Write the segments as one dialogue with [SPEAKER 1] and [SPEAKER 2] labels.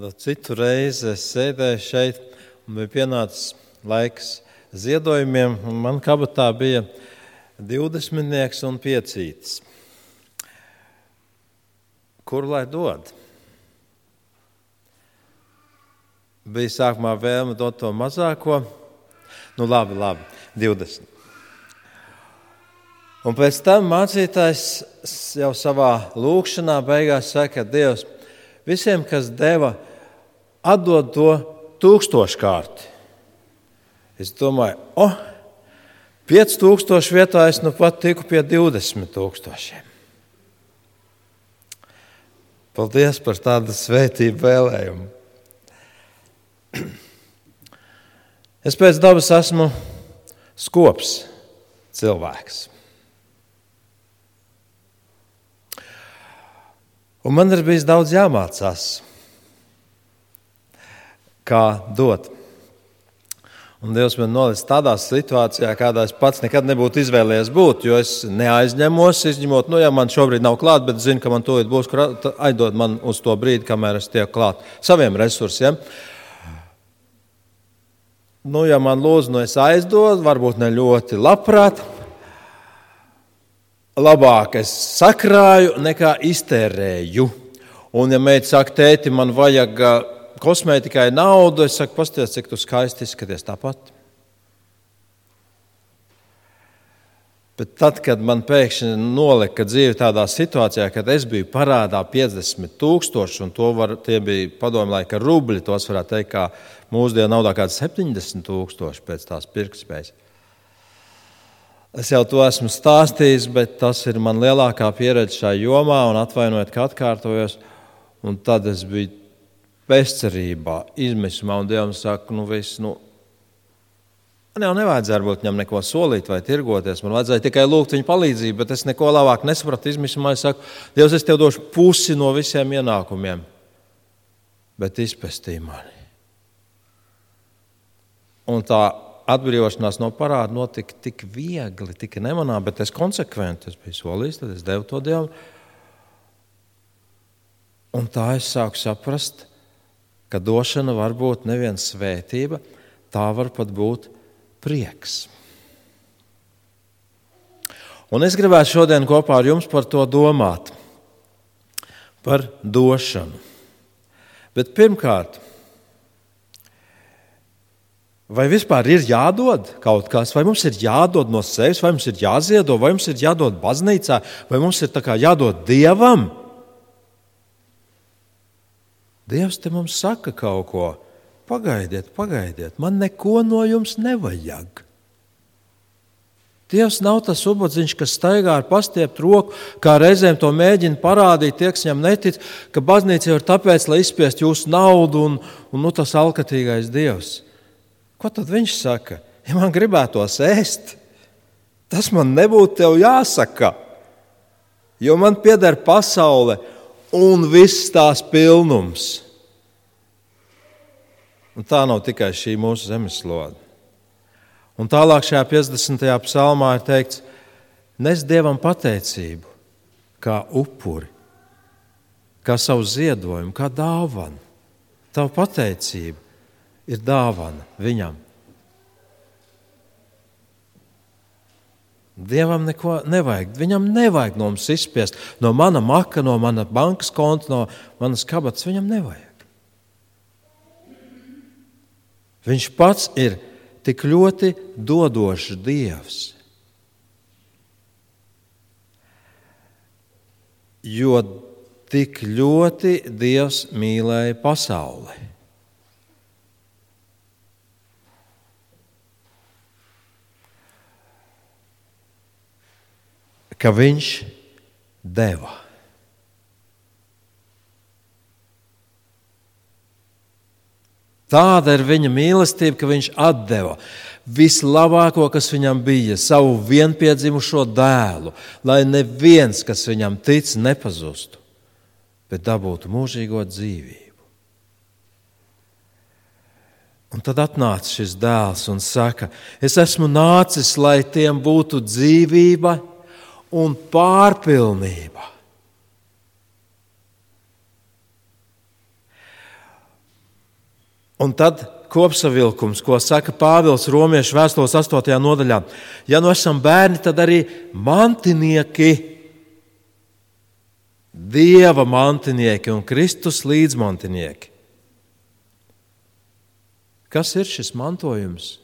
[SPEAKER 1] Citu reizi es sēdēju šeit un bija pienācis laiks ziedojumiem, un man kabatā bija 20 un 5. Kur lai dod? Bija sākumā vēlme dot to mazāko, labi, 20. Un pēc tam mācītājs jau savā lūkšanā beigās saka, Dievs, visiem, kas deva, atdod to 1000-kārti. Es domāju, 5000 vietā es nu pat tiku pie 20 000. Paldies par tādu svētību vēlējumu. Es pēc dabas esmu skops cilvēks. Un man ir bijis daudz jāmācās, kā dot. Un Dievs man nolicis tādā situācijā, kādā es pats nekad nebūtu izvēlējies būt, jo es neaizņemos, izņemot, ja man šobrīd nav klāt, bet zinu, ka man tūlīt būs, kur aizdod man uz to brīdi, kamēr es tieku klāt saviem resursiem. Ja man lūdzu, es aizdodu, varbūt ne ļoti labprāt. Labāk es sakrāju nekā iztērēju. Un ja meita saka, tēti, man vajag kosmētikai naudu, es saku, pasties, cik tu skaisti izskaties tāpat. Bet tad, kad man pēkšņi nolika dzīve tādā situācijā, kad es biju parādā 50 000, un tie bija padomju laika rubļi, tos varētu teikt, kā mūsdienu naudā kāds 70 000 pēc tās pirktspējas. Es jau to esmu stāstījis, bet tas ir man lielākā pieredze šajā jomā, un atvainojiet, ka atkārtojos. Un tad es biju bezcerībā, izmisumā, un Dievam saka, man jau nevajadzēja būt viņam neko solīt vai tirgoties, man vajadzēja tikai lūgt viņa palīdzību, bet es neko labāk nesapratu izmisumā. Es saku, Dievs, es tev došu pusi no visiem ienākumiem, bet izpestī mani. Un tā atbrīvošanās no parāda notika tik viegli, tik nemanām, bet es konsekventi, es biju solījis, tad es devu to Dievam. Un tā es sāku saprast, ka došana var būt nevien svētība, tā var pat būt prieks. Un es gribētu šodien kopā ar jums par to domāt, par došanu. Bet pirmkārt, vai vispār ir jādod kaut kas, vai mums ir jādod no sevis, vai mums ir jāziedo, vai mums ir jādod baznīcā, vai mums ir jādod Dievam? Dievs te mums saka kaut ko. Pagaidiet, man neko no jums nevajag. Dievs nav tas ubadziņš, kas staigā ar pastieptu roku, kā reizēm to mēģina parādīt, tie, kas viņam netic, ka baznīca ir tāpēc, lai izspiest jūsu naudu un tas alkatīgais Dievs. Ko tad viņš saka? Ja man gribētos ēst, tas man nebūtu tev jāsaka, jo man pieder pasaule un viss tās pilnums. Un tā nav tikai šī mūsu zemeslode. Un tālāk šajā 50. psalmā ir teikts, nes Dievam pateicību kā upuri, kā savu ziedojumu, kā dāvanu. Tavu pateicību ir dāvana viņam. Dievam neko nevajag. Viņam nevajag no mums izspiest. No mana maka, no mana bankas konta, no manas kabatas. Viņam nevajag. Viņš pats ir tik ļoti dodošs Dievs. Jo tik ļoti Dievs mīlēja pasauli. Ka viņš deva. Tāda ir viņa mīlestība, ka viņš atdeva vislabāko, kas viņam bija, savu vienpiedzimušo dēlu, lai neviens, kas viņam tic, nepazustu, bet dabūtu mūžīgo dzīvību. Un tad atnāca šis dēls un saka, es esmu nācis, lai tiem būtu dzīvība un pārpilnība. Un tad kopsavilkums, ko saka Pāvils Romiešu vēstules 8. nodaļā. Ja nu esam bērni, tad arī mantinieki, Dieva mantinieki un Kristus līdzmantinieki. Kas ir šis mantojums?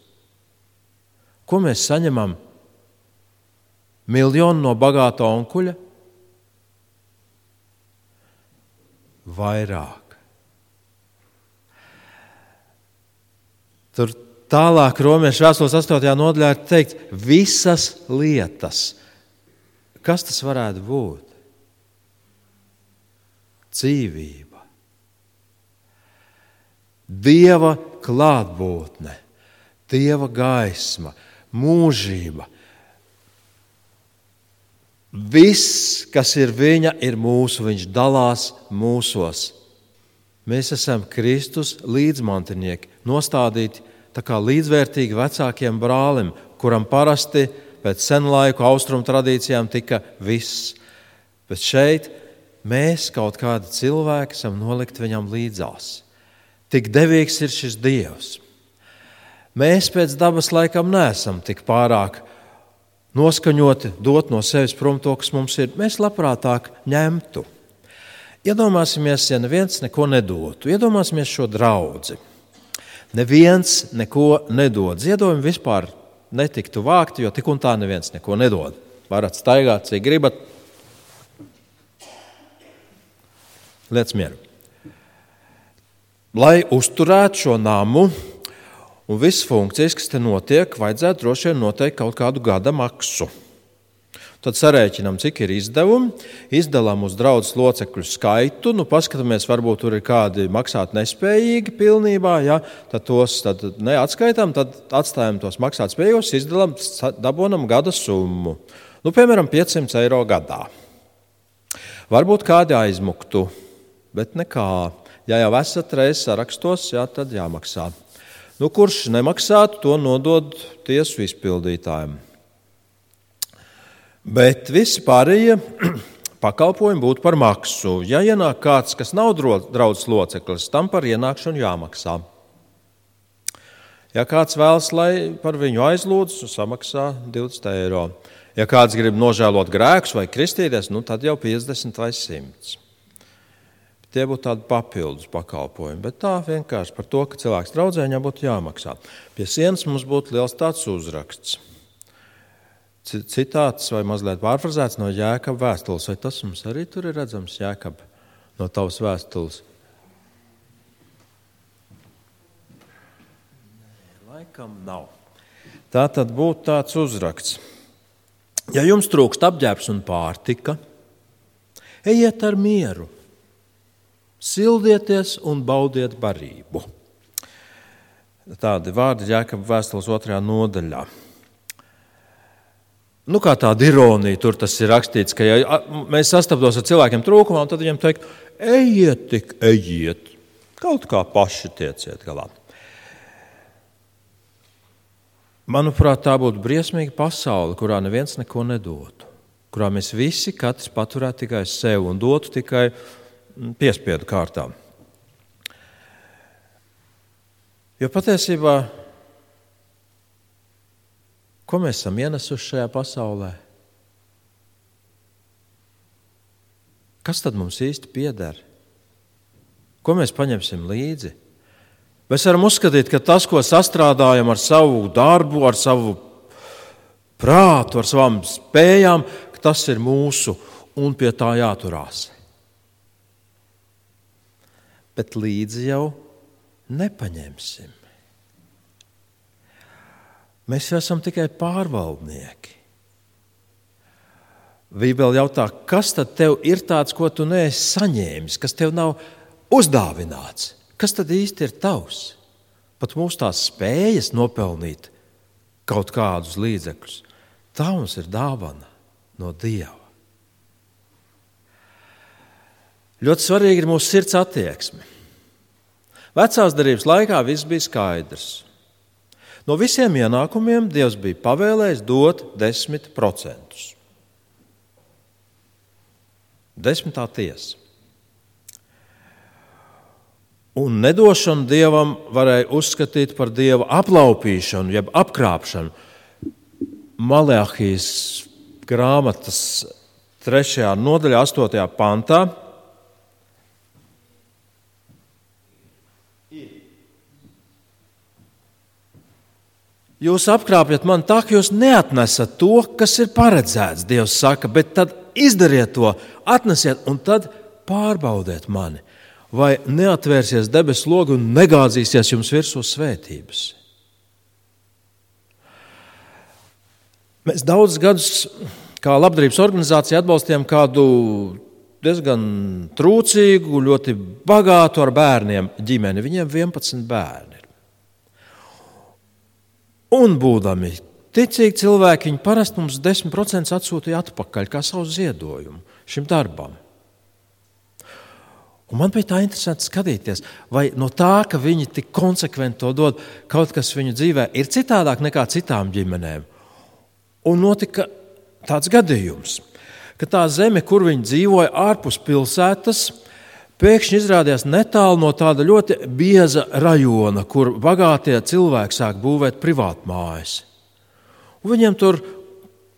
[SPEAKER 1] Ko mēs saņemam? Miljonu no bagāta onkuļa? Vairāk. Tur tālāk Romiešu vēstules 8. nodaļā ir teikts visas lietas. Kas tas varētu būt? Dzīvība. Dieva klātbūtne, Dieva gaisma, mūžība. Viss, kas ir viņa, ir mūsu, viņš dalās mūsos. Mēs esam Kristus līdzmantinieki, nostādīti tā kā līdzvērtīgi vecākiem brālim, kuram parasti pēc senu laiku austrumu tradīcijām tika viss. Bet šeit mēs kaut kādi cilvēki esam nolikti viņam līdzās. Tik devīgs ir šis Dievs. Mēs pēc dabas laikam neesam tik pārāk noskaņoti dot no sevis prom to, kas mums ir. Mēs labprātāk ņemtu. Iedomāsimies, ja neviens neko nedotu. Iedomāsimies šo draudzi. Neviens neko nedod. Ziedojumi vispār netiktu vākti, jo tik un tā neviens neko nedod. Varat staigāt, cik gribat. Liec mieru. Lai uzturētu šo namu un visas funkcijas, kas te notiek, vajadzētu droši vien noteikt kaut kādu gada maksu. Tad sarēķinām, cik ir izdevumi, izdalām uz draudzes locekļu skaitu, paskatāmies, varbūt tur ir kādi maksāt nespējīgi pilnībā, ja, tad tos neatskaitām, tad atstājam tos maksāt spējīgos, izdalām, dabonam gada summu. Piemēram, 500 eiro gadā. Varbūt kādi aizmuktu, bet nekā. Ja jau esat reiz sarakstos, tad jāmaksā. Kurš nemaksātu, to nodod tiesu izpildītājiem. Bet visi pārējie pakalpojumi būtu par maksu. Ja ienāk kāds, kas nav draudzes loceklis, tam par ienākšanu jāmaksā. Ja kāds vēlas, lai par viņu aizlūdz, samaksā 20 eiro. Ja kāds grib nožēlot grēkus vai kristīties, tad jau 50 vai 100. Tie būtu tādi papildus pakalpojumi, bet tā vienkārši par to, ka cilvēks draudzē viņam būtu jāmaksā. Pie sienas mums būtu liels tāds uzraksts. Citāts vai mazliet pārfrazēts no Jēkaba vēstules. Vai tas mums arī tur ir redzams, Jēkab, no tavas vēstules? Laikam nav. Tā tad būtu tāds uzraksts. Ja jums trūkst apģērbs un pārtika, ejiet ar mieru. Sildieties un baudiet barību. Tādi vārdi Jēkaba vēstules 2. nodaļā. Kā tāda ironija tur tas ir rakstīts, ka ja mēs sastaptos ar cilvēkiem trūkumā, tad viņiem teikt, ejiet, kaut kā paši tieciet galā. Manuprāt, tā būtu briesmīga pasaule, kurā neviens neko nedotu, kurā mēs visi katrs paturētu tikai sev un dotu tikai piespiedu kārtā. Jo patiesībā, ko mēs esam ienesuši šajā pasaulē? Kas tad mums īsti pieder? Ko mēs paņemsim līdzi? Mēs varam uzskatīt, ka tas, ko sastrādājam ar savu darbu, ar savu prātu, ar savām spējām, ka tas ir mūsu un pie tā jāturās. Bet līdzi jau nepaņemsim. Mēs jau esam tikai pārvaldnieki. Bībele jautā, kas tad tev ir tāds, ko tu neesi saņēmis, kas tev nav uzdāvināts? Kas tad īsti ir tavs? Pat mūsu tās spējas nopelnīt kaut kādus līdzekļus. Tā mums ir dāvana no Dieva. Ļoti svarīgi ir mūsu sirds attieksme. Vecās derības laikā viss bija skaidrs. No visiem ienākumiem Dievs bija pavēlējis dot 10%. 10. tiesa. Un nedošanu Dievam varēja uzskatīt par Dieva aplaupīšanu, jeb apkrāpšanu. Maleahijas grāmatas 3. nodaļā, 8. pantā. Jūs apkrāpjat man tā, ka jūs neatnesat to, kas ir paredzēts, Dievs saka, bet tad izdariet to, atnesiet un tad pārbaudiet mani. Vai neatvērsies debesu logi un negādzīsies jums virsū svētības? Mēs daudzus gadus kā labdarības organizācija atbalstījām kādu diezgan trūcīgu, ļoti bagātu ar bērniem ģimeni. Viņiem 11 bērni. Un būdami ticīgi cilvēki, viņi parasti mums 10% atsūtīja atpakaļ kā savu ziedojumu šim darbam. Un man bija tā interesanti skatīties, vai no tā, ka viņi tik konsekventi to dod, kaut kas viņu dzīvē ir citādāk nekā citām ģimenēm. Un notika tāds gadījums, ka tā zeme, kur viņi dzīvoja ārpus pilsētas, pēkšņi izrādījās netālu no tāda ļoti bieza rajona, kur bagātie cilvēki sāk būvēt privātmājas. Un viņiem tur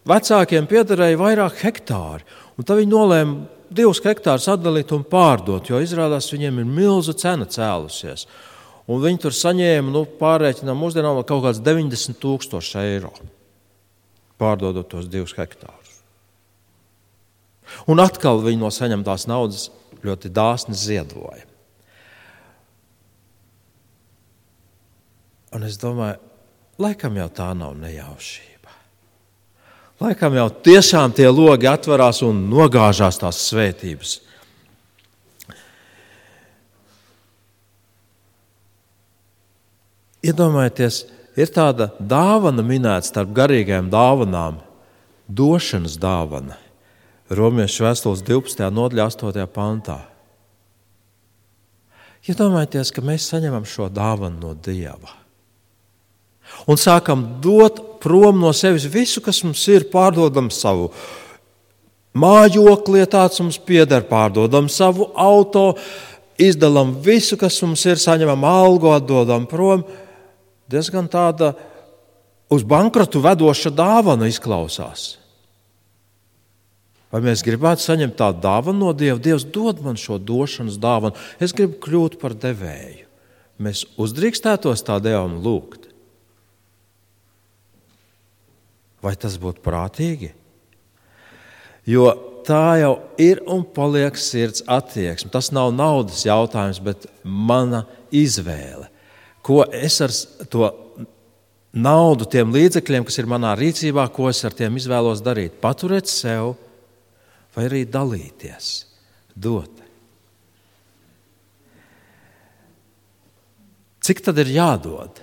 [SPEAKER 1] vecākiem piederēja vairāk hektāri, un tad viņi nolēma 2 hektārus atdalīt un pārdot, jo izrādās viņiem ir milzu cena cēlusies. Un viņi tur saņēma, pārrēķinām mūsdienām, kaut kāds 90,000 eiro, pārdodot tos 2 hektārus. Un atkal viņi no saņemtās naudas ļoti dāsni ziedoja. Un es domāju, laikam jau tā nav nejaušība. Laikam jau tiešām tie logi atverās un nogāžās tās svētības. Iedomājieties, ir tāda dāvana minēta starp garīgajām dāvanām, došanas dāvana. Romiešu vēstules 12. nodaļā 8. pantā. Iedomājieties, ka mēs saņemam šo dāvanu no Dieva. Un sākam dot prom no sevis visu, kas mums ir, pārdodam savu mājokli, tāds mums pieder, pārdodam savu auto, izdalam visu, kas mums ir, saņemam algu, atdodam prom. Diezgan tāda uz bankrotu vedoša dāvana izklausās. Vai mēs gribētu saņemt tādu dāvanu no Dieva? Dievs dod man šo došanas dāvanu. Es gribu kļūt par devēju. Mēs uzdrīkstētos tā Dievam lūgt. Vai tas būtu prātīgi? Jo tā jau ir un paliek sirds attieksme. Tas nav naudas jautājums, bet mana izvēle. Ko es ar to naudu, tiem līdzekļiem, kas ir manā rīcībā, ko es ar tiem izvēlos darīt? Paturēt sev vai arī dalīties, dot. Cik tad ir jādod?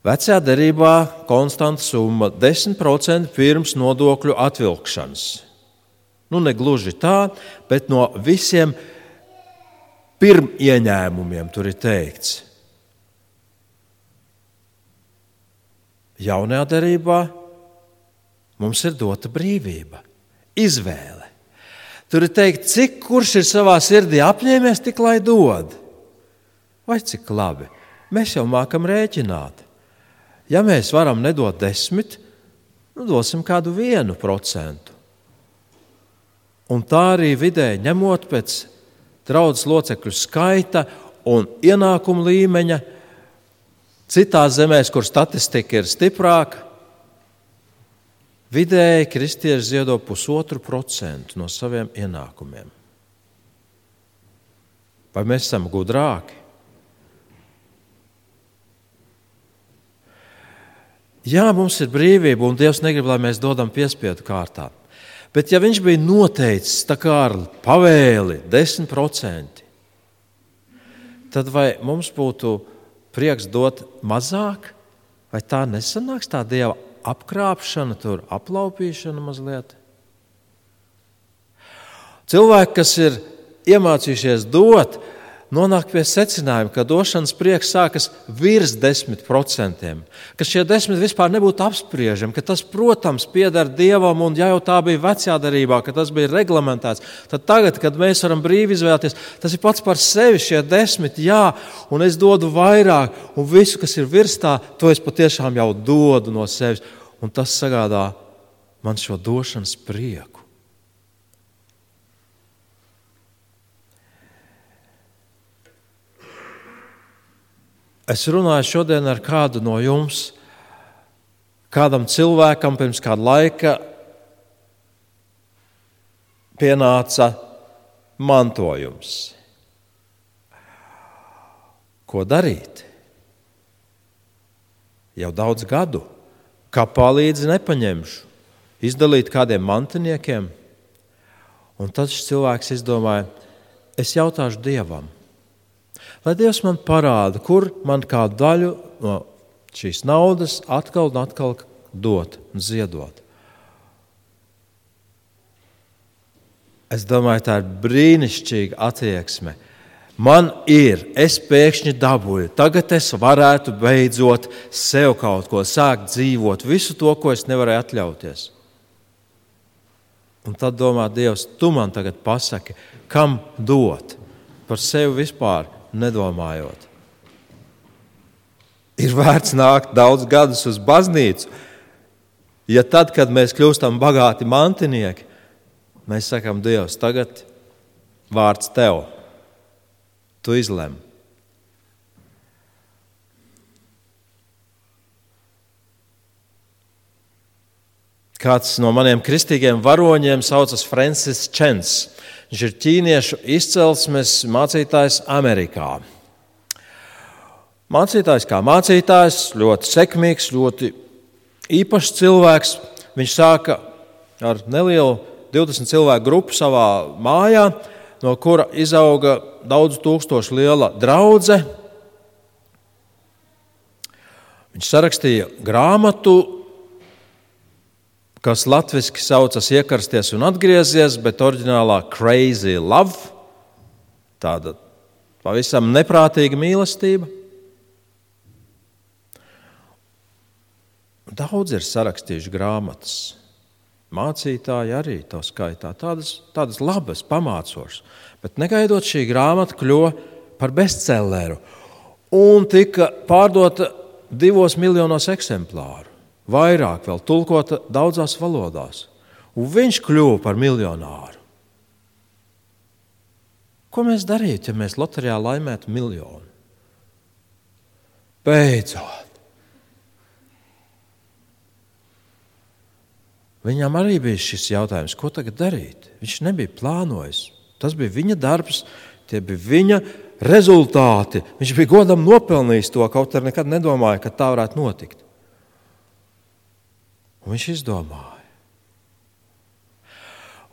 [SPEAKER 1] Vecajā derībā konstanta summa 10% pirms nodokļu atvilkšanas. Ne gluži tā, bet no visiem pirmieņēmumiem tur ir teikts. Jaunajā derībā mums ir dota brīvība, izvēle. Tur ir teikt, cik kurš ir savā sirdī apņēmies, tik lai dod. Vai cik labi? Mēs jau mākam rēķināt. Ja mēs varam nedot 10, dosim kādu 1%. Un tā arī vidēji ņemot pēc draudzes locekļu skaita un ienākumu līmeņa, citās zemēs, kur statistika ir stiprāka, vidēji kristieši ziedo 0,5% no saviem ienākumiem. Vai mēs esam gudrāki? Jā, mums ir brīvība, un Dievs negrib, lai mēs dodam piespiedu kārtā. Bet ja viņš bija noteicis tā kā ar pavēli 10%, tad vai mums būtu prieks dot mazāk? Vai tā nesanāks tā Dieva apkrāpšana, tur aplaupīšana mazliet? Cilvēki, kas ir iemācījušies dot, nonāk pie secinājuma, ka došanas prieks sākas virs 10%, ka šie 10 vispār nebūtu apspriežami, ka tas, protams, pieder Dievam, un ja jau tā bija vecajā derībā, ka tas bija reglamentēts, tad tagad, kad mēs varam brīvi izvēlēties, tas ir pats par sevi šie 10, jā, un es dodu vairāk, un visu, kas ir virs tā, to es patiešām jau dodu no sevis, un tas sagādā man šo došanas prieku. Es runāju šodien ar kādu no jums, kādam cilvēkam pirms kāda laika pienāca mantojums. Ko darīt? Jau daudz gadu. Kapā līdzi nepaņemšu. Izdalīt kādiem mantiniekiem. Un tad šis cilvēks izdomāja, es jautāšu Dievam. Lai Dievs man parāda, kur man kādu daļu no šīs naudas atkal un atkal dot un ziedot. Es domāju, tā ir brīnišķīga attieksme. Man ir, es pēkšņi dabūju, tagad es varētu beidzot sev kaut ko sākt dzīvot, visu to, ko es nevarēju atļauties. Un tad domā Dievs, tu man tagad pasaki, kam dot, par sevi vispār nedomājot. Ir vērts nākt daudz gadus uz baznīcu, ja tad, kad mēs kļūstam bagāti mantinieki, mēs sakam, Dievs, tagad vārds tev, tu izlem. Kāds no maniem kristīgiem varoņiem saucas Francis Chens. Viņš ir ķīniešu izcelsmes mācītājs Amerikā. Mācītājs kā mācītājs, ļoti sekmīgs, ļoti īpašs cilvēks. Viņš sāka ar nelielu 20 cilvēku grupu savā mājā, no kura izauga daudz tūkstošu liela draudze. Viņš sarakstīja grāmatu, kas latviski saucas Iekarasties un atgriezies, bet oriģinālā Crazy Love, tāda pavisam neprātīga mīlestība. Daudz ir sarakstījuši grāmatas. Mācītāji arī to skaitā, tādas labas, pamācošas. Bet negaidot, šī grāmata kļuva par bestselleru un tika pārdota 2 miljonos eksemplāru. Vairāk vēl tulkota daudzās valodās. Un viņš kļuva par miljonāru. Ko mēs darītu, ja mēs loterijā laimētu 1 miljonu? Beidzot. Viņam arī bija šis jautājums, ko tagad darīt. Viņš nebija plānojis. Tas bija viņa darbs, tie bija viņa rezultāti. Viņš bija godam nopelnījis to, kaut arī nekad nedomāja, ka tā varētu notikt. Un viņš izdomāja.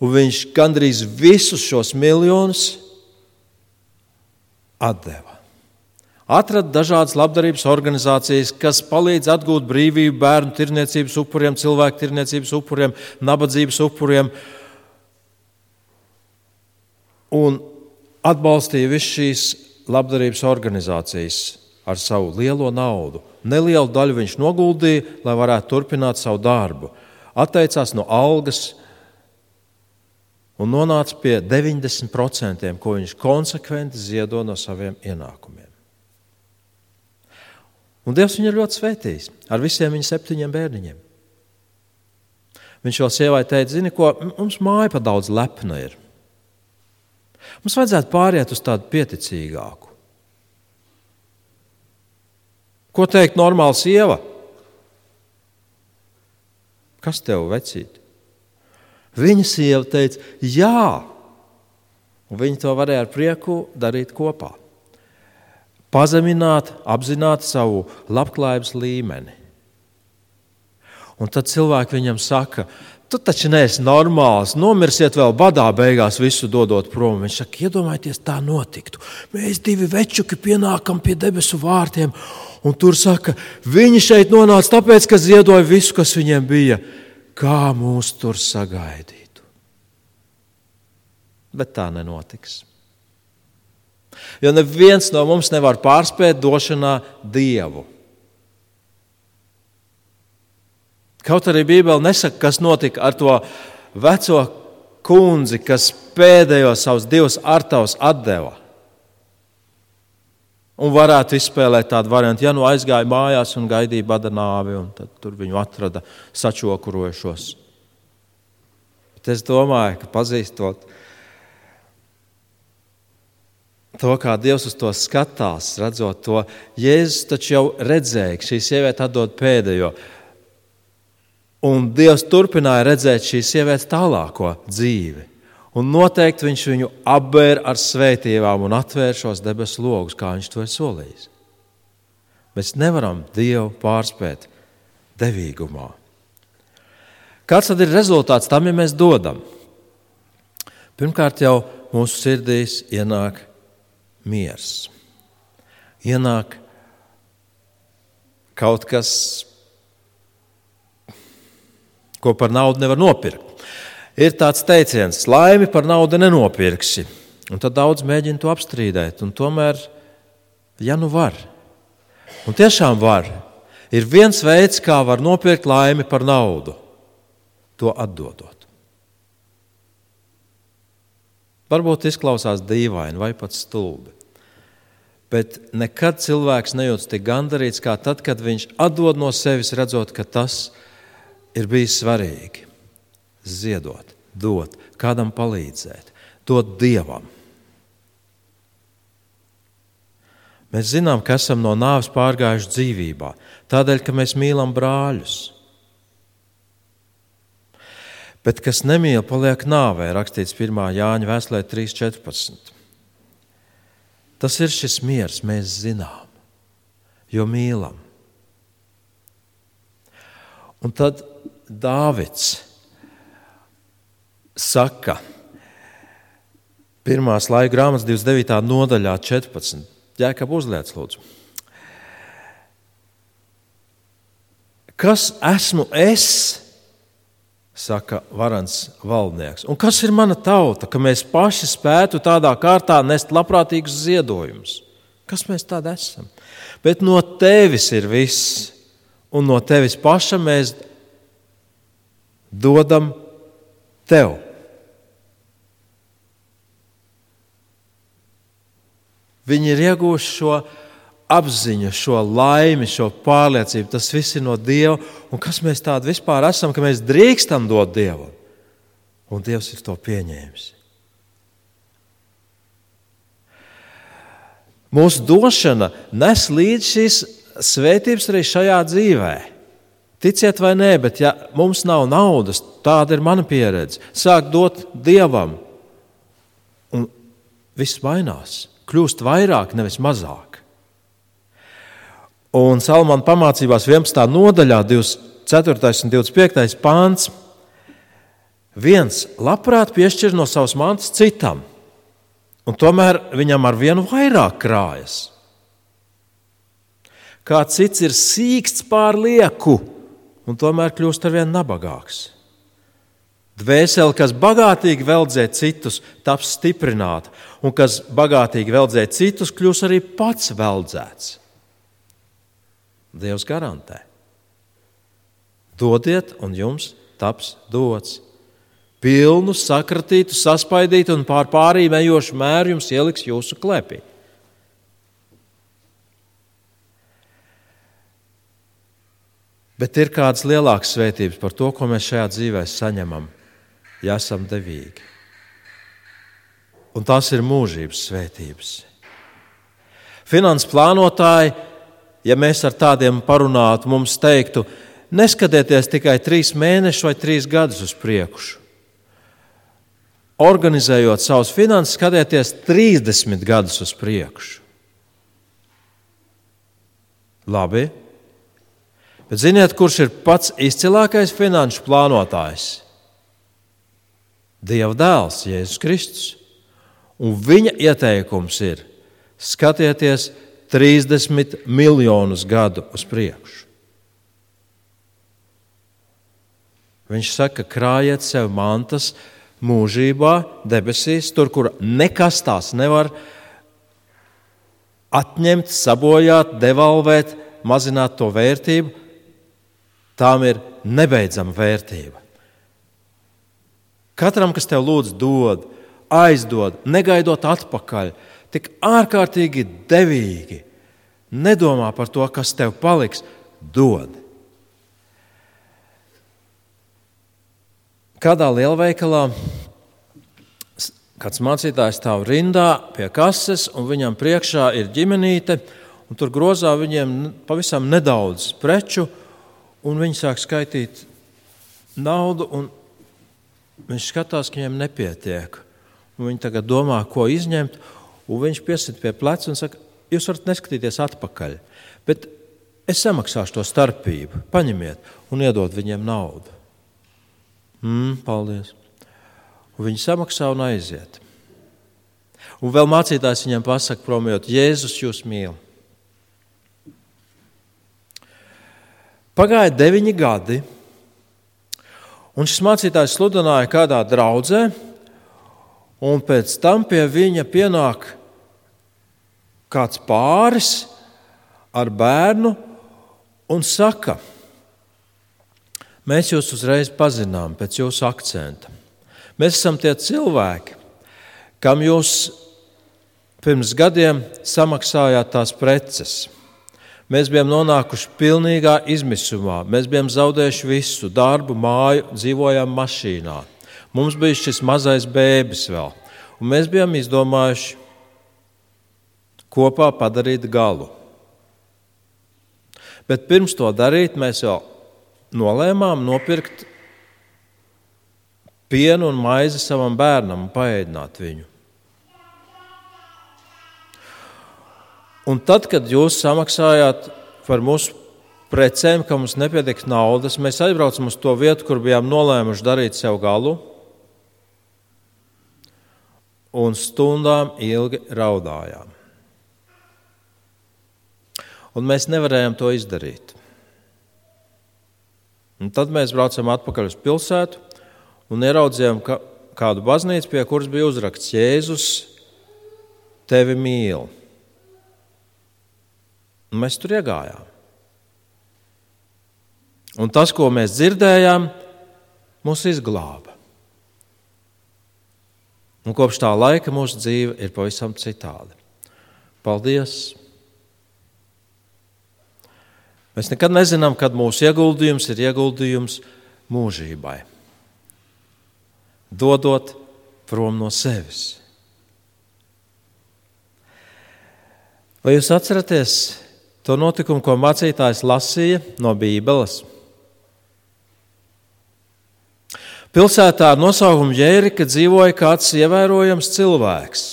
[SPEAKER 1] Un viņš gandrīz visus šos miljonus atdeva. Atrada dažādas labdarības organizācijas, kas palīdz atgūt brīvību bērnu tirniecības upuriem, cilvēku tirniecības upuriem, nabadzības upuriem. Un atbalstīja visu šīs labdarības organizācijas ar savu lielo naudu. Nelielu daļu viņš noguldīja, lai varētu turpināt savu darbu. Atteicās no algas un nonāca pie 90%, ko viņš konsekventi ziedo no saviem ienākumiem. Un Dievs viņu ir ļoti svētījis ar visiem viņa 7 bērniņiem. Viņš vēl sievai teica, zini ko, mums māja pa daudz lepna ir. Mums vajadzētu pāriet uz tādu pieticīgāku. Ko teikt normāla sieva? Kas tev, vecīt? Viņa sieva teica, jā. Un viņi to varēja ar prieku darīt kopā. Pazemināt, apzināt savu labklājības līmeni. Un tad cilvēki viņam saka, tu taču neesi normāls, nomirsiet vēl badā, beigās visu dodot prom. Viņš saka, iedomājieties, tā notiktu. Mēs 2 večuki pienākam pie debesu vārtiem, un tur saka, viņi šeit nonāca tāpēc, ka ziedoja visu, kas viņiem bija. Kā mūs tur sagaidītu? Bet tā nenotiks. Jo neviens no mums nevar pārspēt došanā Dievu. Kaut arī Bībele nesaka, kas notika ar to veco kundzi, kas pēdējo savus 2 artavus atdeva. Un varētu izspēlēt tādu variantu, ja nu aizgāja mājās un gaidīja bada nāvi, un tad tur viņu atrada sačokurojušos. Bet es domāju, ka pazīstot to, kā Dievs uz to skatās, redzot to, Jēzus taču jau redzēja, ka šī sieviete atdod pēdējo. Un Dievs turpināja redzēt šīs sievietes tālāko dzīvi. Un noteikti viņš viņu apbēra ar svētībām un atvēra šos debesu logus, kā viņš to ir solījis. Mēs nevaram Dievu pārspēt devīgumā. Kāds tad ir rezultāts tam, ja mēs dodam? Pirmkārt jau mūsu sirdīs ienāk miers. Ienāk kaut kas, ko par naudu nevar nopirkt. Ir tāds teiciens, laimi par naudu nenopirksi. Un tad daudz mēģina to apstrīdēt. Un tomēr, ja nu var, un tiešām var, ir viens veids, kā var nopirkt laimi par naudu. To atdodot. Varbūt izklausās dīvaini vai pat stulbi. Bet nekad cilvēks nejūtas tik gandarīts, kā tad, kad viņš atdod no sevis, redzot, ka tas ir bijis svarīgi. Ziedot, dot, kādam palīdzēt, dot Dievam. Mēs zinām, ka esam no nāves pārgājuši dzīvībā, tādēļ, ka mēs mīlam brāļus. Bet kas nemīl, paliek nāvē, rakstīts 1. Jāņa vēstulē 3.14. Tas ir šis miers, mēs zinām, jo mīlam. Un tad Dāvids saka, 1. Laika grāmatas 29. nodaļā 14. Jēkab uzliec, lūdzu. Kas esmu es, saka varans valdnieks, un kas ir mana tauta, ka mēs paši spētu tādā kārtā nest labprātīgus ziedojumus? Kas mēs tādi esam? Bet no tevis ir viss, un no tevis paša mēs dodam tev. Viņi ir ieguvuši šo apziņu, šo laimi, šo pārliecību. Tas viss ir no Dieva. Un kas mēs tādi vispār esam, ka mēs drīkstam dot Dievam? Un Dievs ir to pieņēmis. Mūsu došana nes līdz šīs svētības arī šajā dzīvē. Ticiet vai nē, bet ja mums nav naudas, tāda ir mana pieredze, sāk dot Dievam, un viss mainās, kļūst vairāk, nevis mazāk. Un Salmāna pamācībās 11. nodaļā, 24. un 25. pāns, viens labprāt piešķir no savas mantas citam, un tomēr viņam ar vienu vairāk krājas. Kāds cits ir sīksts pār lieku, un tomēr kļūst arvien nabagāks. Dvēsele, kas bagātīgi veldzē citus, taps stiprināta, un kas bagātīgi veldzē citus, kļūs arī pats veldzēts. Dievs garantē. Dodiet, un jums taps dots. Pilnu, sakratītu, saspaidītu un pār pārīm ejošu mēru jums ieliks jūsu klēpī. Bet ir kādas lielākas svētības par to, ko mēs šajā dzīvē saņemam, ja esam devīgi. Un tās ir mūžības svētības. Finanses plānotāji, ja mēs ar tādiem parunātu, mums teiktu, neskatieties tikai 3 mēnešus vai 3 gadus uz priekšu. Organizējot savus finanses, skatieties 30 gadus uz priekšu. Labi. Bet ziniet, kurš ir pats izcilākais finanšu plānotājs? Dieva dēls, Jēzus Kristus. Un viņa ieteikums ir: skatieties 30 miljonus gadu uz priekšu. Viņš saka, krājiet sev mantas mūžībā, debesīs, tur, kur nekas tās nevar atņemt, sabojāt, devalvēt, mazināt to vērtību, tām ir nebeidzama vērtība. Katram, kas tev lūdz dod, aizdod, negaidot atpakaļ, tik ārkārtīgi devīgi, nedomā par to, kas tev paliks, dod. Kādā lielveikalā kāds mācītājs stāv rindā pie kases, un viņam priekšā ir ģimenīte, un tur grozā viņiem pavisam nedaudz preču, un viņi sāk skaitīt naudu, un viņš skatās, ka viņiem nepietiek. Un viņi tagad domā, ko izņemt, un viņš piesit pie pleca un saka, jūs varat neskatīties atpakaļ, bet es samaksāšu to starpību, paņemiet un iedod viņiem naudu. Paldies. Un viņi samaksā un aiziet. Un vēl mācītājs viņam pasaka, promjot, Jēzus jūs mīl. Pagāja 9 gadi, un šis mācītājs sludināja kādā draudzē, un pēc tam pie viņa pienāk kāds pāris ar bērnu un saka, mēs jūs uzreiz pazinām pēc jūsu akcenta. Mēs esam tie cilvēki, kam jūs pirms gadiem samaksājāt tās preces. Mēs bijām nonākuši pilnīgā izmisumā. Mēs bijām zaudējuši visu, darbu, māju, dzīvojām mašīnā. Mums bija šis mazais bēbis vēl. Un mēs bijām izdomājuši kopā padarīt galu. Bet pirms to darīt, mēs jau nolēmām nopirkt pienu un maizi savam bērnam un paēdināt viņu. Un tad, kad jūs samaksājāt par mūsu precēm, ka mums nepietiks naudas, mēs aizbraucam uz to vietu, kur bijām nolēmuši darīt sev galu, un stundām ilgi raudājām. Un mēs nevarējām to izdarīt. Un tad mēs braucam atpakaļ uz pilsētu un ieraudzījām kādu baznīcu, pie kuras bija uzraksts Jēzus tevi mīl. Un mēs tur iegājām. Un tas, ko mēs dzirdējām, mūs izglāba. Un kopš tā laika mūsu dzīve ir pavisam citāda. Paldies! Mēs nekad nezinām, kad mūsu ieguldījums ir ieguldījums mūžībai. Dodot prom no sevis. Vai jūs atceraties to notikumu, ko mācītājs lasīja no Bībeles? Pilsētā ar nosaukumu Jērika dzīvoja kāds ievērojams cilvēks.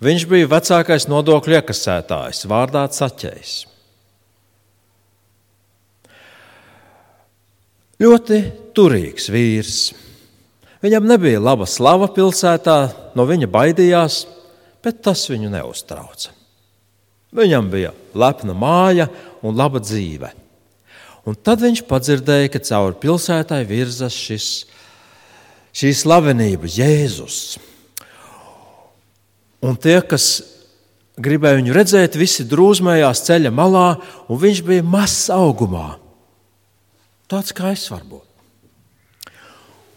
[SPEAKER 1] Viņš bija vecākais nodokļu iekasētājs, vārdā Caķejs. Ļoti turīgs vīrs. Viņam nebija laba slava pilsētā, no viņa baidījās, bet tas viņu neuztrauca. Viņam bija lepna māja un laba dzīve. Un tad viņš padzirdēja, ka cauri pilsētai virzas šī slavenība, Jēzus. Un tie, kas gribēja viņu redzēt, visi drūzmējās ceļa malā, un viņš bija mazs augumā. Tāds kā es varbūt.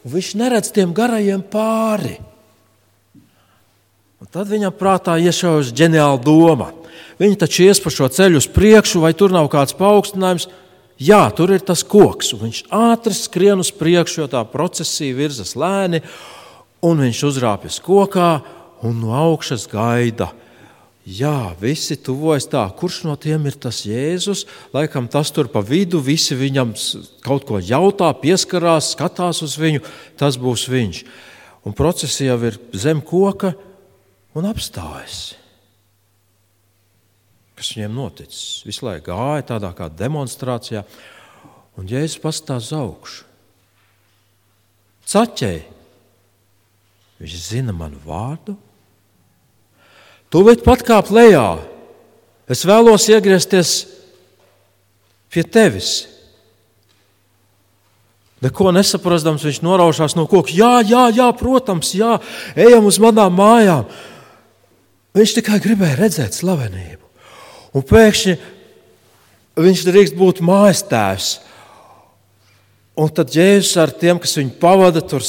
[SPEAKER 1] Un viņš neredz tiem garajiem pāri. Un tad viņam prātā iešaujas ģeniāla doma. Viņi taču ies pa šo ceļu uz priekšu, vai tur nav kāds paaugstinājums? Jā, tur ir tas koks. Un viņš ātri skrien uz priekšu, jo tā procesija virzas lēni, un viņš uzrāpjas kokā un no augšas gaida. Jā, visi tuvojas tā, kurš no tiem ir tas Jēzus? Laikam tas tur pa vidu, visi viņam kaut ko jautā, pieskarās, skatās uz viņu, tas būs viņš. Un procesija jau ir zem koka un apstājas. Kas viņiem noticis? Visu laiku gāja tādā kā demonstrācijā, un Jēzus paskatās uz augšu. Caķej, viņš zina manu vārdu? Tūlīt pat kāp lejā. Es vēlos iegriezties pie tevis. Neko nesaprastams, viņš noraušās no koka. Jā, protams, jā, ejam uz manām mājām. Viņš tikai gribēja redzēt slavenību. Un pēkšņi viņš drīkst būt mājastēvs. Un tad Jēzus ar tiem, kas viņu pavada, tur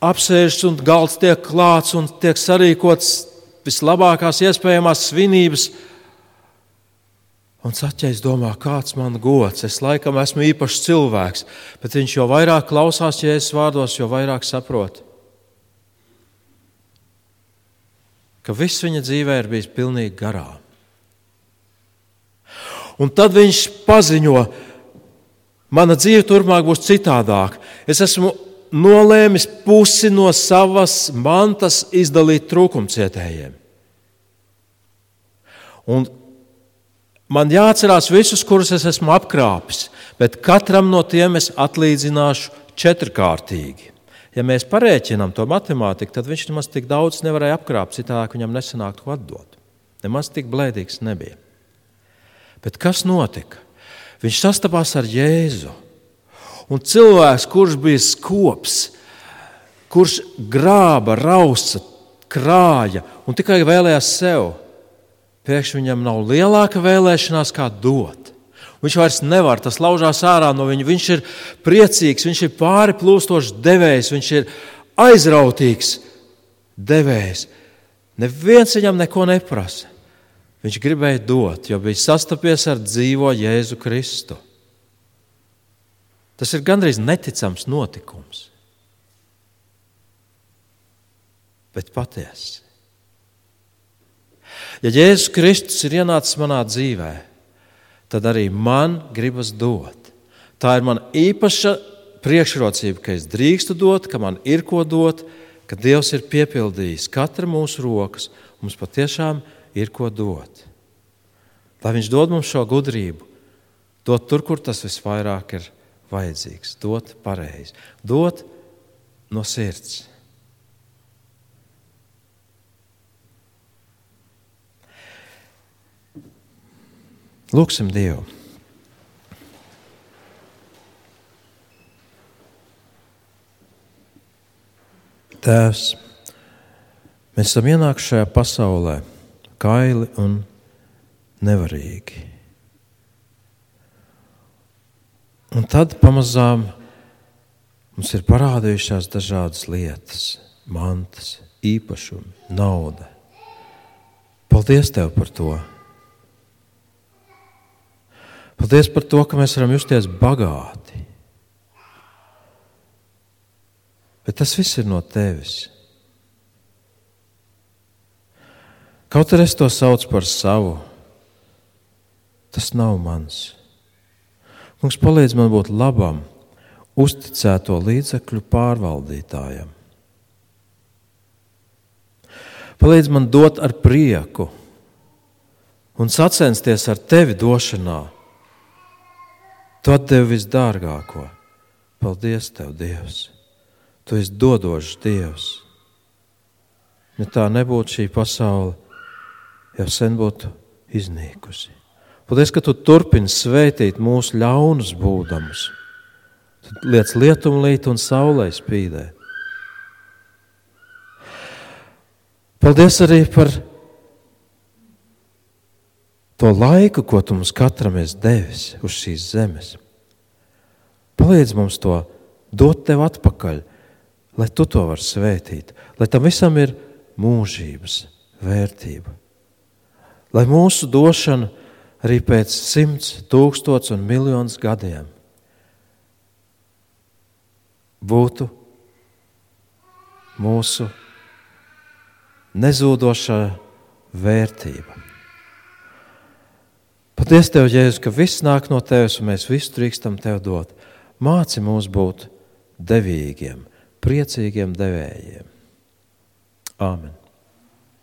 [SPEAKER 1] apsēžas un galds tiek klāts un tiek sarīkots vislabākās iespējamās svinības. Un Zaķejs domā, kāds man gods, es laikam esmu īpašs cilvēks, bet viņš jo vairāk klausās Jēzus vārdos, jo vairāk saprot, ka viss viņa dzīvē ir bijis pilnīgi garām. Un tad viņš paziņo, mana dzīve turpmāk būs citādāk. Es esmu nolēmis pusi no savas mantas izdalīt trūkumcietējiem. Un man jāatcerās visus, kurus es esmu apkrāpis, bet katram no tiem es atlīdzināšu 4-kārtīgi. Ja mēs parēķinām to matemātiku, tad viņš nemaz tik daudz nevarēja apkrāpt, citādi viņam nesanāktu ko atdot. Nemaz tik blēdīgs nebija. Bet kas notika? Viņš sastapās ar Jēzu. Un cilvēks, kurš bija skops, kurš grāba, rausa, krāja un tikai vēlējās sev, pēkšņi viņam nav lielāka vēlēšanās kā dot. Viņš vairs nevar, tas laužās ārā no viņa. Viņš ir priecīgs, viņš ir pāri plūstošs devējs, viņš ir aizrautīgs devējs. Neviens viņam neko neprasa. Viņš gribēja dot, jo bija sastapies ar dzīvo Jēzu Kristu. Tas ir gandrīz neticams notikums, bet patiesi. Ja Jēzus Kristus ir ienācis manā dzīvē, tad arī man gribas dot. Tā ir man īpaša priekšrocība, ka es drīkstu dot, ka man ir ko dot, ka Dievs ir piepildījis katra mūsu rokas, mums patiešām ir ko dot. Lai viņš dod mums šo gudrību, dot tur, kur tas visvairāk ir vajadzīgs, dot pareizi, dot no sirds. Lūksim Dievu. Tēvs, mēs esam ienākuši šajā pasaulē kaili un nevarīgi. Un tad pamazām mums ir parādījušās dažādas lietas, mantas, īpašumi, nauda. Paldies Tev par to. Paldies par to, ka mēs varam justies bagāti. Bet tas viss ir no Tevis. Kaut arī es to saucu par savu, tas nav mans. Kungs, palīdz man būt labam, uzticēto līdzekļu pārvaldītājam. Palīdz man dot ar prieku un sacensties ar Tevi došanā. Tu atdevi visdārgāko. Paldies Tev, Dievs. Tu esi dodošs Dievs. Ja tā nebūtu šī pasaule, jau sen būtu iznīkusi. Paldies, ka Tu turpini svētīt mūsu ļaunus būdamus. Tu liec lietumu līt un saulē spīdē. Paldies arī par to laiku, ko Tu mums katram esi devis uz šīs zemes. Palīdz mums to dot Tev atpakaļ, lai Tu to vari svētīt, lai tam visam ir mūžības vērtība. Lai mūsu došana arī pēc 100, 1000 un miljonus gadiem būtu mūsu nezūdošā vērtība. Paldies Tev, Jēzus, ka viss nāk no Tevis un mēs visu drīkstam Tev dot. Māci mūs būt devīgiem, priecīgiem devējiem. Āmen.